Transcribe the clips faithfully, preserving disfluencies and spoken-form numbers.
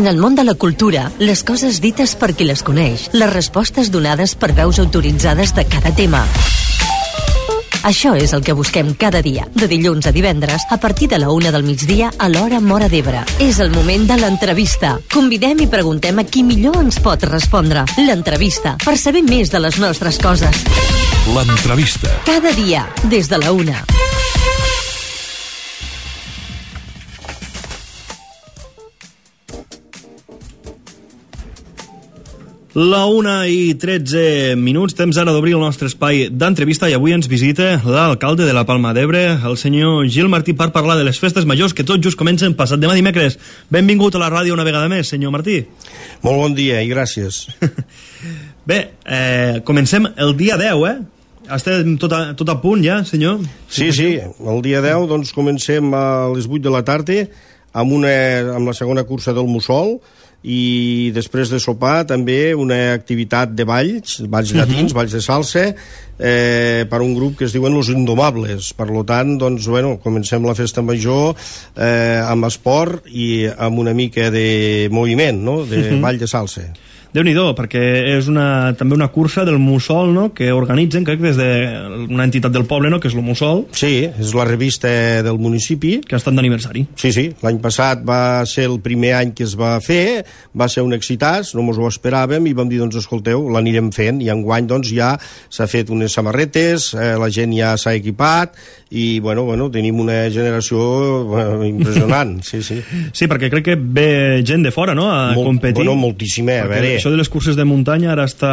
En el món de la cultura, les coses dites per qui les coneix, les respostes donades per veus autoritzades de cada tema. Això és el que busquem cada dia, de dilluns a divendres, a partir de la una del migdia a l'hora Móra d'Ebre. És el moment de l'entrevista. Convidem i preguntem a qui millor ens pot respondre. L'entrevista, per saber més de les nostres coses. L'entrevista. Cada dia, des de la una. La una i tretze minuts, temps ara d'obrir el nostre espai d'entrevista i avui ens visita l'alcalde de la Palma d'Ebre, el senyor Gil Martí, per parlar de les festes majors que tot just comencen passat demà dimecres. Benvingut a la ràdio una vegada més, senyor Martí. Molt bon dia i gràcies. Bé, eh, comencem el dia deu, eh? Estem tot a, tot a punt ja, senyor? Sí, sí, el dia deu doncs comencem a les vuit de la tarda amb, una, amb la segona cursa del Mussol, i després de sopar també una activitat de balls, balls llatins, uh-huh. balls de salsa, eh, per un grup que es diuen Los Indomables. Per tant, doncs, bueno, comencem la festa major eh, amb esport i amb una mica de moviment, no?, de uh-huh. ball de salsa. Déu-n'hi-do, perquè és una, també una cursa del Mussol, no?, que organitzen, crec, des d'una entitat del poble, no?, que és el Mussol. Sí, és la revista del municipi. Que ha estat d'aniversari. Sí, sí, l'any passat va ser el primer any que es va fer, va ser un excitàs, no mos ho esperàvem, i vam dir, doncs, escolteu, l'anirem fent, i enguany, doncs, ja s'ha fet unes samarretes, eh, la gent ja s'ha equipat, i, bueno, bueno, tenim una generació bueno, impressionant, sí, sí. Sí, perquè crec que ve gent de fora, no?, a Molt, competir. Bueno, moltíssima, a veure... Això de les curses de muntanya ara està...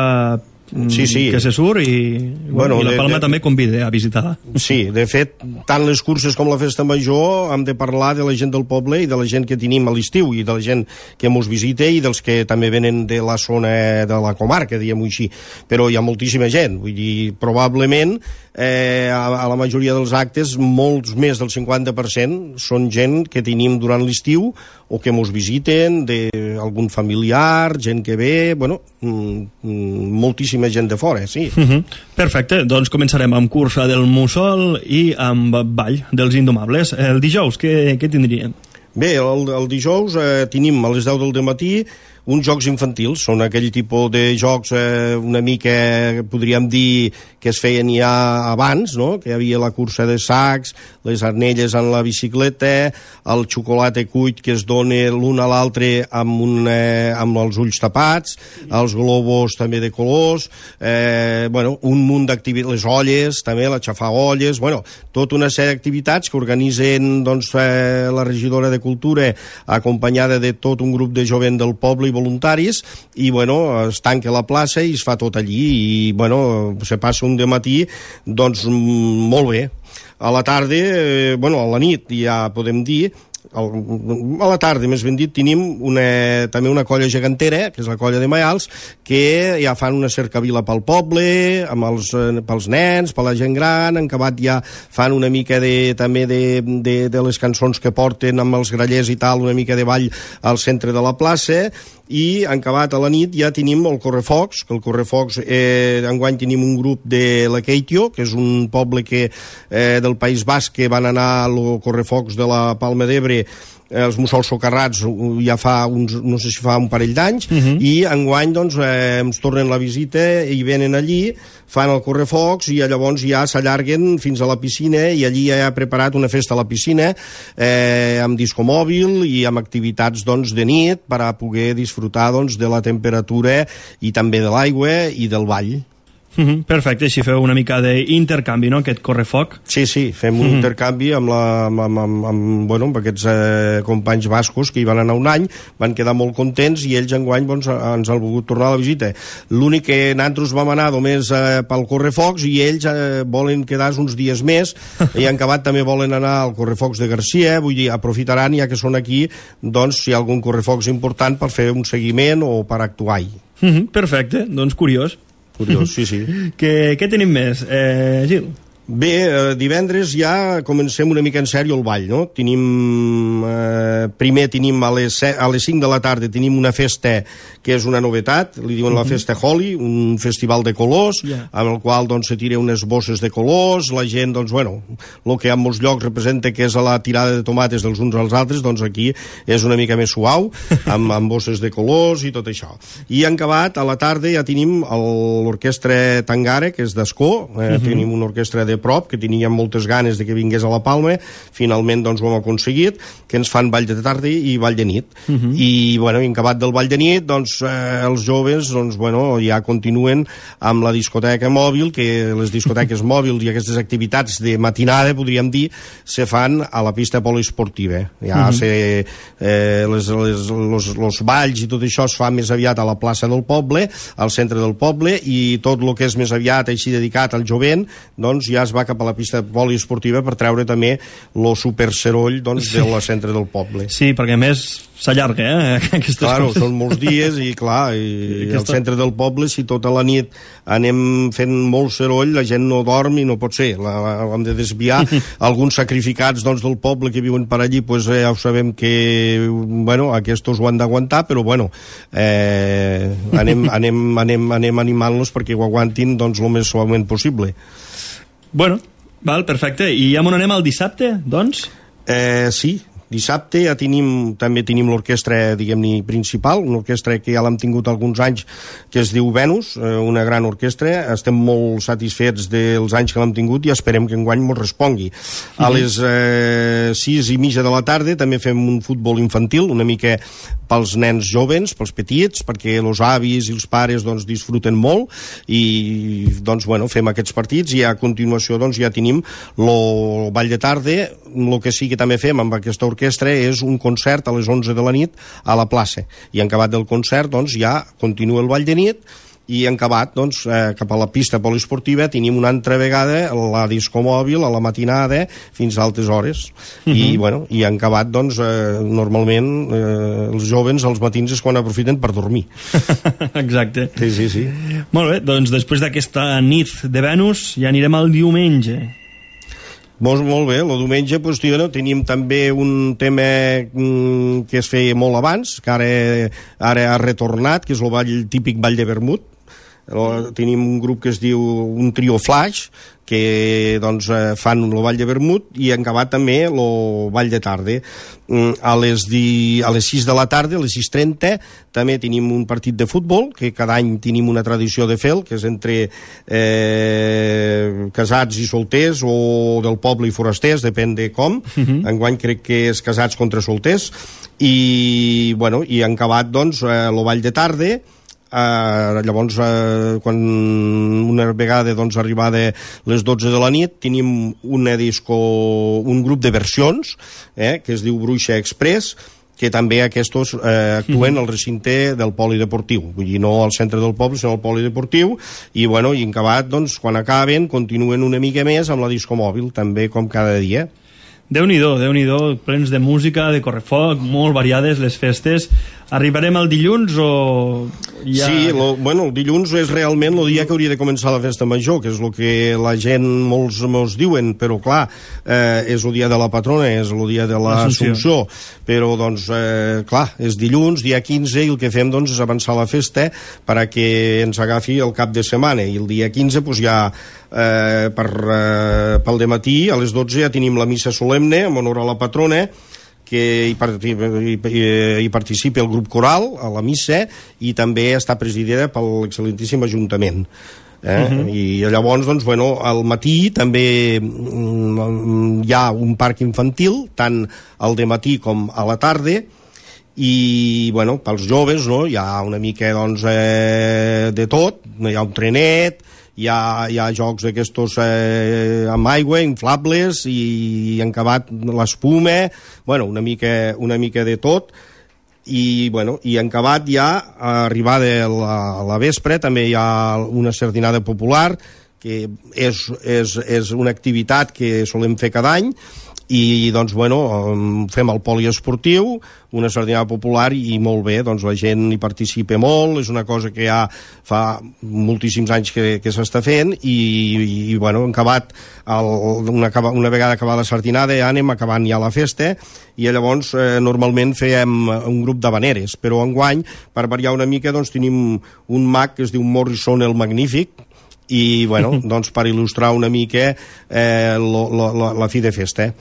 Sí, sí. que se surt i, bueno, i la Palma de, de, també convida a visitar. Sí, de fet, tant les curses com la festa major hem de parlar de la gent del poble i de la gent que tenim a l'estiu i de la gent que mos visita i dels que també venen de la zona de la comarca, diguem-ho així. Però hi ha moltíssima gent, vull dir, probablement eh, a, a la majoria dels actes molts més del cinquanta per cent són gent que tenim durant l'estiu o que mos visiten, d'algun familiar, gent que ve, bueno, moltíssima gent de fora, sí. Uh-huh. Perfecte, doncs començarem amb cursa del Mussol i amb ball dels Indomables. El dijous, què, què tindríem? Bé, el, el dijous eh, tenim a les deu del matí uns jocs infantils, són aquell tipus de jocs eh, una mica, podríem dir, que es feien ja abans, no?, que hi havia la cursa de sacs, les arnelles en la bicicleta, el xocolata cuit que es dona l'un a l'altre amb, un, eh, amb els ulls tapats, els globus també de colors, eh, bueno, un munt d'activitats, les olles, també, la xafar olles, bueno, tota una sèrie d'activitats que organitzen, doncs, eh, la regidora de Cultura, acompanyada de tot un grup de jovent del poble i voluntaris, i bueno, es tanca la plaça i es fa tot allí i bueno, se passa un dematí doncs molt bé. A la tarda, eh, bueno, a la nit ja podem dir, a la tarda, més ben dit, tenim una, també una colla gegantera, que és la colla de Maials, que ja fan una cercavila pel poble, amb els, pels nens, per la gent gran, en acabat ja fan una mica de, també de, de, de les cançons que porten amb els grallers i tal, una mica de ball al centre de la plaça, i en acabat a la nit ja tenim el Correfocs, que el Correfocs eh, enguany tenim un grup de la Keitio, que és un poble que, eh, del País Basc, que van anar al Correfocs de la Palma d'Ebre, els mussols socarrats ja fa uns, no sé si fa un parell d'anys, uh-huh. i enguany doncs eh, ens tornen la visita i venen allí, fan el correfocs i llavors ja s'allarguen fins a la piscina i allí ja ha preparat una festa a la piscina eh, amb disco mòbil i amb activitats doncs de nit per a poder disfrutar doncs de la temperatura i també de l'aigua i del ball. Uh-huh, perfecte, així feu una mica d'intercanvi, no?, aquest correfoc. Sí, sí, fem un uh-huh. intercanvi amb, la, amb, amb, amb, bueno, amb aquests eh, companys bascos que hi van anar un any, van quedar molt contents i ells enguany doncs, ens han volgut tornar a la visita. L'únic que nosaltres vam anar només eh, pel correfocs i ells eh, volen quedar uns dies més i en acabat també volen anar al correfocs de Garcia, vull dir, aprofitaran ja que són aquí, doncs si hi ha algun correfocs important per fer un seguiment o per actuar-hi. Uh-huh, perfecte, doncs curiós. Curiós, sí, sí. Què, què tenim més, eh, Gil? Bé, eh, divendres ja comencem una mica en sèrio el ball, no? Tenim, eh, primer tenim a les, a les cinc de la tarda tenim una festa que és una novetat, li diuen uh -huh. la festa Holi, un festival de colors, yeah. amb el qual doncs, se tira unes bosses de colors, la gent, doncs, bueno, el que en molts llocs representa que és la tirada de tomates dels uns als altres, doncs aquí és una mica més suau, amb, amb bosses de colors i tot això. I en acabat, a la tarda ja tenim l'orquestra Tangara, que és d'Ascó, eh, uh -huh. tenim una orquestra de prop, que teníem moltes ganes de que vingués a la Palma, finalment doncs ho hem aconseguit, que ens fan ball de tarda i ball de nit. Uh -huh. I, bueno, en acabat del ball de nit, doncs, eh, els joves, doncs, bueno, ja continuen amb la discoteca mòbil, que les discoteques mòbils i aquestes activitats de matinada, podríem dir, se fan a la pista poliesportiva. Ja uh -huh. se, eh, les, les, los, los balls i tot això es fa més aviat a la plaça del poble, al centre del poble, i tot el que és més aviat així dedicat al jovent, doncs ja es va cap a la pista poliesportiva per treure també el superseroll, doncs, sí. del centre del poble. Sí, perquè a més s'allarga, eh? Aquestes claro, coses. Són molts dies i clar, i al centre del poble, si tota la nit anem fent molt seroll, la gent no dorm i no pot ser, la, la, hem de desviar. Alguns sacrificats, doncs, del poble que viuen per allí, pues, eh, ja ho sabem que, bueno, aquests ho han d'aguantar, però bueno, eh, anem, anem, anem, anem animant-los perquè ho aguantin, doncs, el més suaument possible. Bueno, val, perfecte. I ja m'on anem al dissabte, doncs? Eh, sí, dissabte ja tenim, també tenim l'orquestra, diguem-ne, principal, una orquestra que ja l'hem tingut alguns anys, que es diu Venus, una gran orquestra. Estem molt satisfets dels anys que l'hem tingut i esperem que enguany ens respongui. A les eh, sis i mitja de la tarda també fem un futbol infantil, una mica pels nens jovens, pels petits, perquè els avis i els pares doncs, disfruten molt, i doncs, bueno, fem aquests partits, i a continuació doncs, ja tenim el ball de tarda. El que sí que també fem amb aquesta orquestra és un concert a les onze de la nit a la plaça, i en acabat del concert doncs, ja continua el ball de nit, i en acabat, doncs, eh, cap a la pista poliesportiva tenim una altra vegada la disco mòbil a la matinada fins a altes hores. Uh -huh. I, bueno, i en acabat, doncs, eh, normalment eh, els jovens als matins és quan aprofiten per dormir. Exacte. Sí, sí, sí. Molt bé, doncs després d'aquesta nit de Venus ja anirem al diumenge. Molt, molt bé, el diumenge pues, tio, no, tenim també un tema mm, que es feia molt abans, que ara, ara ha retornat, que és el ball, típic ball de vermut. Tenim un grup que es diu un trio Flash, que doncs, fan el ball de vermut, i en acabat també el ball de tarda. A les, di... a les sis de la tarda, a les sis trenta, també tenim un partit de futbol, que cada any tenim una tradició de fer, que és entre eh, casats i solters, o del poble i forasters, depèn de com. Uh-huh. Enguany crec que és casats contra solters. I, bueno, i en acabat, doncs, el ball de tarda. Uh, llavors uh, quan una vegada doncs, arribada les dotze de la nit tenim una disco, un grup de versions eh, que es diu Bruixa Express, que també aquests eh, actuen al recinte del polideportiu, vull dir, no al centre del poble, sinó al polideportiu, i, bueno, i en acabat, doncs, quan acaben, continuen una mica més amb la disco mòbil, també com cada dia. Déu-n'hi-do, Déu-n'hi-do, plens de música, de correfoc, molt variades les festes. Arribarem al dilluns o ja... Sí, lo, bueno, el dilluns és realment el dia que hauria de començar la festa major, que és el que la gent molts mos diuen, però clar, eh, és el dia de la patrona, és el dia de l'Assumpció, però doncs, eh, clar, és dilluns, dia quinze, i el que fem doncs és avançar la festa perquè ens agafi el cap de setmana, i el dia quinze doncs ja eh, per, eh, pel dematí a les dotze ja tenim la missa solemne en honor a la patrona, que hi, participa, hi, hi participa el grup coral a la missa, i també està presidida per l'excel·lentíssim Ajuntament. Eh? Uh-huh. I llavors, doncs, bueno, al matí també mm, hi ha un parc infantil, tant al dematí com a la tarda, i, bueno, pels joves, no?, hi ha una mica, doncs, eh, de tot, hi ha un trenet, hi ha, hi ha jocs d'aquestos eh, amb aigua, inflables, i, i en acabat l'espuma, bueno, una mica, una mica de tot, i, bueno, i en acabat ja, arribada a la, a la vespre, també hi ha una sardinada popular, que és, és, és una activitat que solem fer cada any, i doncs bueno, fem el poliesportiu, una sardinada popular, i molt bé, doncs la gent hi participa molt, és una cosa que ja fa moltíssims anys que, que s'està fent, i, i bueno, hem acabat el, una, una vegada acabada la sardinada ja anem acabant ja la festa, i llavors eh, normalment fèiem un grup d'habaneres, però enguany, per variar una mica, doncs tenim un mag que es diu Morrison el Magnífic, i bueno, doncs per il·lustrar una mica eh, lo, lo, la, la fi de festa.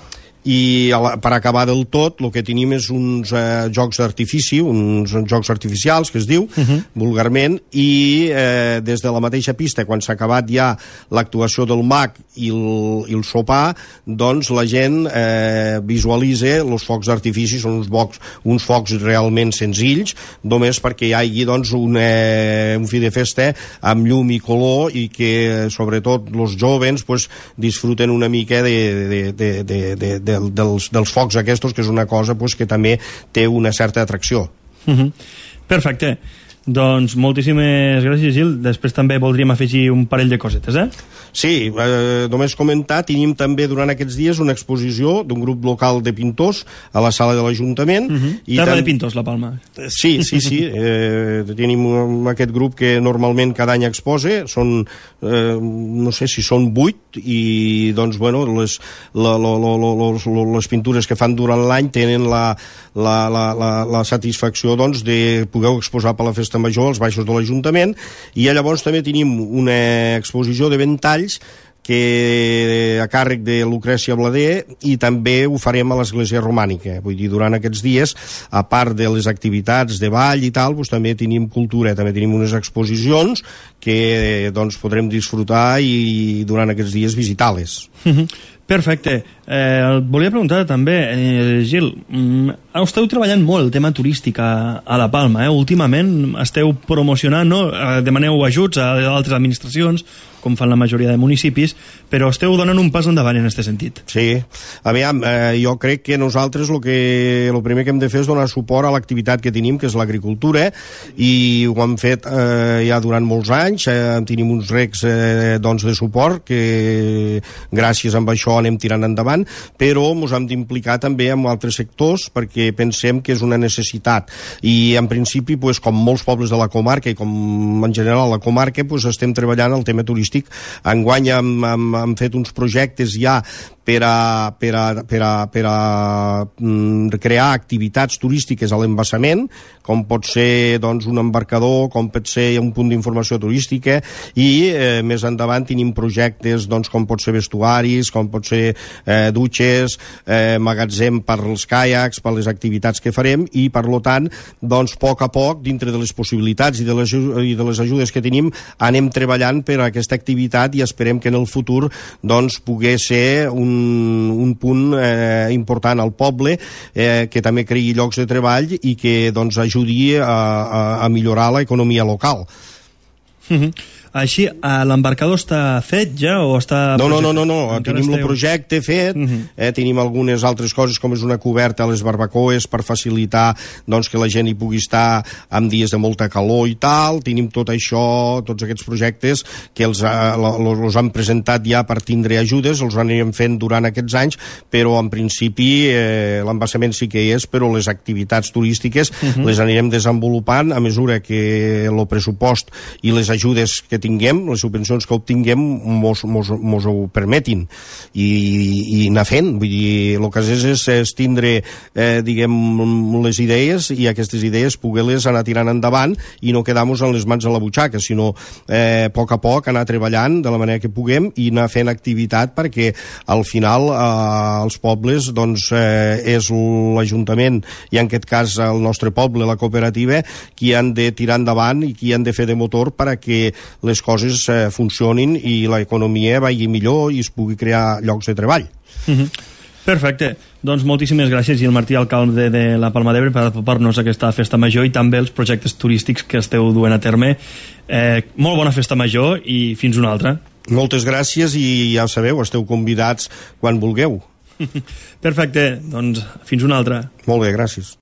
I la, per acabar del tot el que tenim és uns eh, jocs d'artifici, uns jocs artificials que es diu, uh -huh. vulgarment, i eh, des de la mateixa pista, quan s'ha acabat ja l'actuació del mag i el, i el sopar, doncs la gent eh, visualitza els focs d'artifici, són uns focs, uns focs realment senzills, només perquè hi hagi doncs, un, eh, un fi de festa amb llum i color, i que sobretot els jovens pues, disfruten una mica de, de, de, de, de, de Dels, dels focs aquests, que és una cosa pues, que també té una certa atracció. Uh-huh. Perfecte. Doncs moltíssimes gràcies, Gil. Després també voldríem afegir un parell de cosetes, eh? Sí, eh, només comentar, tenim també durant aquests dies una exposició d'un grup local de pintors a la sala de l'Ajuntament. Uh-huh. Terra tam... de pintors, la Palma. Sí, sí, sí. Eh, tenim aquest grup que normalment cada any exposa. Són, eh, no sé si són vuit, i doncs, bueno, les, la, la, la, la, les pintures que fan durant l'any tenen la, la, la, la, la satisfacció doncs, de poder exposar per la Festa Major als baixos de l'Ajuntament, i llavors també tenim una exposició de ventalls que a càrrec de Lucrècia Blader, i també ho farem a l'església romànica. Vull dir, durant aquests dies, a part de les activitats de ball i tal, doncs també tenim cultura, també tenim unes exposicions que doncs, podrem disfrutar i durant aquests dies visitar-les. Perfecte. Eh, volia preguntar també, eh, Gil, mm, esteu treballant molt el tema turístic a, a la Palma, eh? Últimament esteu promocionant, no? Demaneu ajuts a altres administracions, com fan la majoria de municipis, però esteu donant un pas endavant en aquest sentit. Sí. Aviam, eh, jo crec que nosaltres el que el primer que hem de fer és donar suport a l'activitat que tenim, que és l'agricultura, i ho hem fet eh, ja durant molts anys, eh, tenim uns recs eh, doncs de suport que gràcies a això anem tirant endavant, però ens hem d'implicar també amb altres sectors perquè pensem que és una necessitat, i en principi, pues, com molts pobles de la comarca i com en general la comarca, pues, estem treballant el tema turístic. Enguany hem, hem, hem fet uns projectes ja per a, per a, per a, per a mm, crear activitats turístiques a l'embassament, com pot ser doncs, un embarcador, com pot ser un punt d'informació turística, i eh, més endavant tenim projectes doncs, com pot ser vestuaris, com pot ser eh, dutxes, eh, magatzem per als caiacs, per les activitats que farem, i per lo tant, doncs, a poc a poc, dintre de les possibilitats i de les, i de les ajudes que tenim, anem treballant per a aquesta activitat, i esperem que en el futur doncs, pugui ser un un punt eh, important al poble, eh, que també creï llocs de treball i que doncs, ajudi a, a, a millorar l'economia local. Mm-hmm. Així, l'embarcador està fet ja o està... No, no, no, no, no. Tenim el projecte fet, uh-huh. eh, tenim algunes altres coses, com és una coberta a les barbacoes per facilitar doncs, que la gent hi pugui estar en dies de molta calor i tal. Tenim tot això, tots aquests projectes que els, els han presentat ja per tindre ajudes, els anirem fent durant aquests anys, però en principi eh, l'embassament sí que hi és, però les activitats turístiques uh-huh. les anirem desenvolupant a mesura que el pressupost i les ajudes que tinguem, les subvencions que obtinguem mos, mos, mos ho permetin, i, i anar fent. Vull dir, el que és és, és tindre eh, diguem, les idees, i aquestes idees poder-les anar tirant endavant i no quedar-nos en les mans a la butxaca, sinó eh, a poc a poc anar treballant de la manera que puguem i anar fent activitat, perquè al final eh, els pobles doncs, eh, és l'Ajuntament, i en aquest cas el nostre poble, la cooperativa, qui han de tirar endavant i qui han de fer de motor perquè les coses eh, funcionin i l'economia vagi millor i es pugui crear llocs de treball. Mm-hmm. Perfecte. Doncs moltíssimes gràcies, Gil Martí, alcalde de la Palma d'Ebre, per apropar-nos a aquesta festa major i també els projectes turístics que esteu duent a terme. Eh, molt bona festa major i fins una altra. Moltes gràcies, i ja sabeu, esteu convidats quan vulgueu. Perfecte. Doncs fins una altra. Molt bé, gràcies.